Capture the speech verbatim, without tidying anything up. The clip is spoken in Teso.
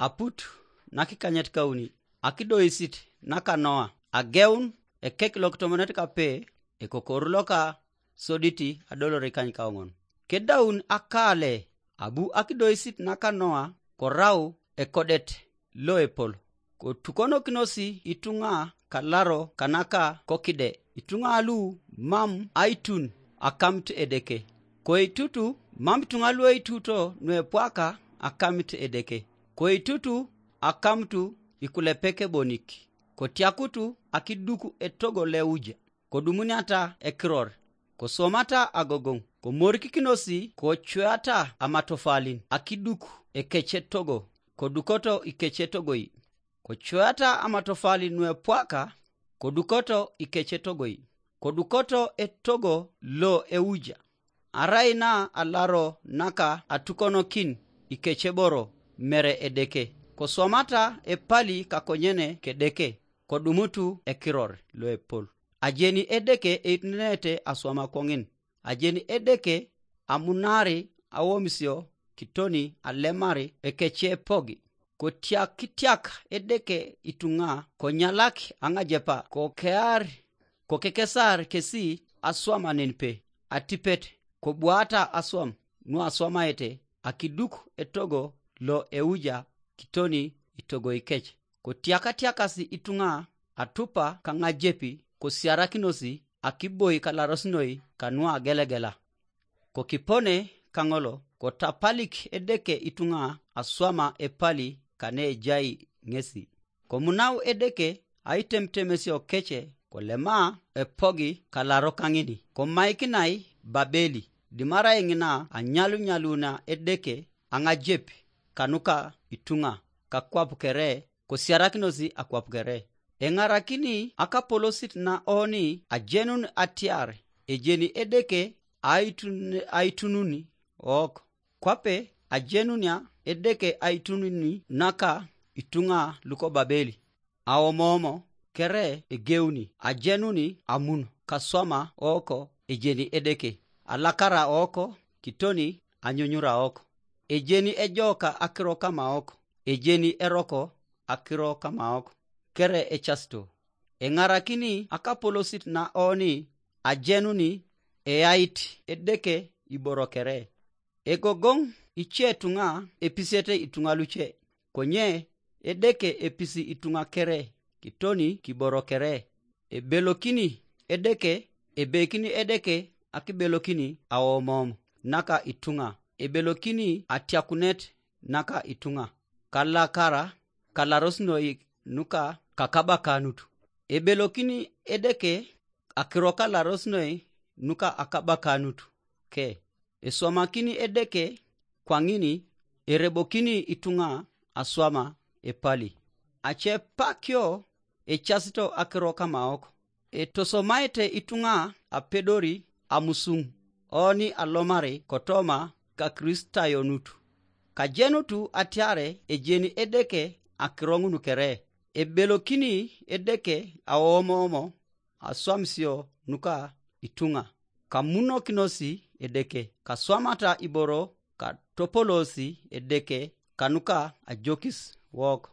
Aput nakikanyet kauni, akidoisit naka Noa, ageun ekek lokitomonet kape, ekokoru loka soditi adolore ikany kaoŋon. Kedaun akale, abu akidoisit naka Noa korau ekodet loepol. Kotukonokinosi ituŋa kalaro kanaka kokide, ituŋa lu mam aitun akamit Edeke. Koitutu mam ituŋa lueituto nuepwaka akamit Edeke. Koitutu akamutu ikulepek ebonik, kotiakutu akiduk etogo leuja, kodumuniata ekiror, koswamata agogoŋ, komorikikinosi kocuata amatofalin akiduk ekecetogo, kodukoto ikecetogoi. Kocuata amatofalin nuepwaka, kodukoto ikecetogoi, kodukoto etogo lo euja. Arai na alaro naka atukonokin ikeceboro mere Edeke, koswamata epali kakonyene k'Edeke, kodumutu ekiror loepol. Ajeni Edeke eitunenete aswam akoŋin. Ajeni Edeke amunari awomisio kitoni alemari ekecepogi. Kotiakitiak Edeke ituŋa, konyalak aŋajepa, kokear, kokekesar kesi aswam anenpe, atipet, kobwaata aswam nuaswamaete akiduk etogo lo euja kitoni itogoi kec. Kotiakatiakasi ituŋa atupa kaŋajepi, kosiarakinosi akiboi kalaros noi kanuagelegela. Kokipone kaŋolo, kotapalik Edeke ituŋa aswama epali kane ejai ŋesi. Komunau Edeke aitemutemesio kece, kolema epogi kalaro kaŋini, komaikinai Babeli, dimarai ŋina anyalunyaluna Edeke aŋajep kanuka ituŋa, kakwap kere kosiarakinosi akwap kere. Eŋarakini akapolosit na oni ajenun atiar ejeni Edeke aitun-, aitununi ok. Kwape ajenunia Edeke aitununi naka ituŋa luko Babeli. Aomomo kere egeuni, ajenuni amun kaswama oko ejeni Edeke, alakara oko kitoni anyunyura oko. Ejeni ejoka akiro kama oko, ejeni eroko akiro kama oko, kere ecasito. Eŋarakini akapolosit na oni ajenuni eait Edeke iboro kere. Egogoŋ ice tuŋa episiete ituŋa luce, konye Edeke episi ituŋa kere kitoni kiboro kere. Ebelokini Edeke, ebekini Edeke akibelokini aomom naka ituŋa, ebelokini atiakunet naka ituŋa, kalakara kalaros noi nuka kakabakanut. Ebelokini Edeke akiro kalaros noi nuka akabakanut ke. Eswamakini Edeke kwaŋini, erebokini ituŋa aswama epali. Acepakio ecasito akiro kamaok, etosomaete ituŋa apedori amusuŋ oni alomari kotoma Kakristayonutu. Kajenutu atiare ejeni Edeke akiro ŋun kere, ebelokini Edeke aomomo aswamisio nuka ituŋa, kamunokinosi Edeke, kaswamata iboro, katopolosi Edeke kanuka ajokis wok.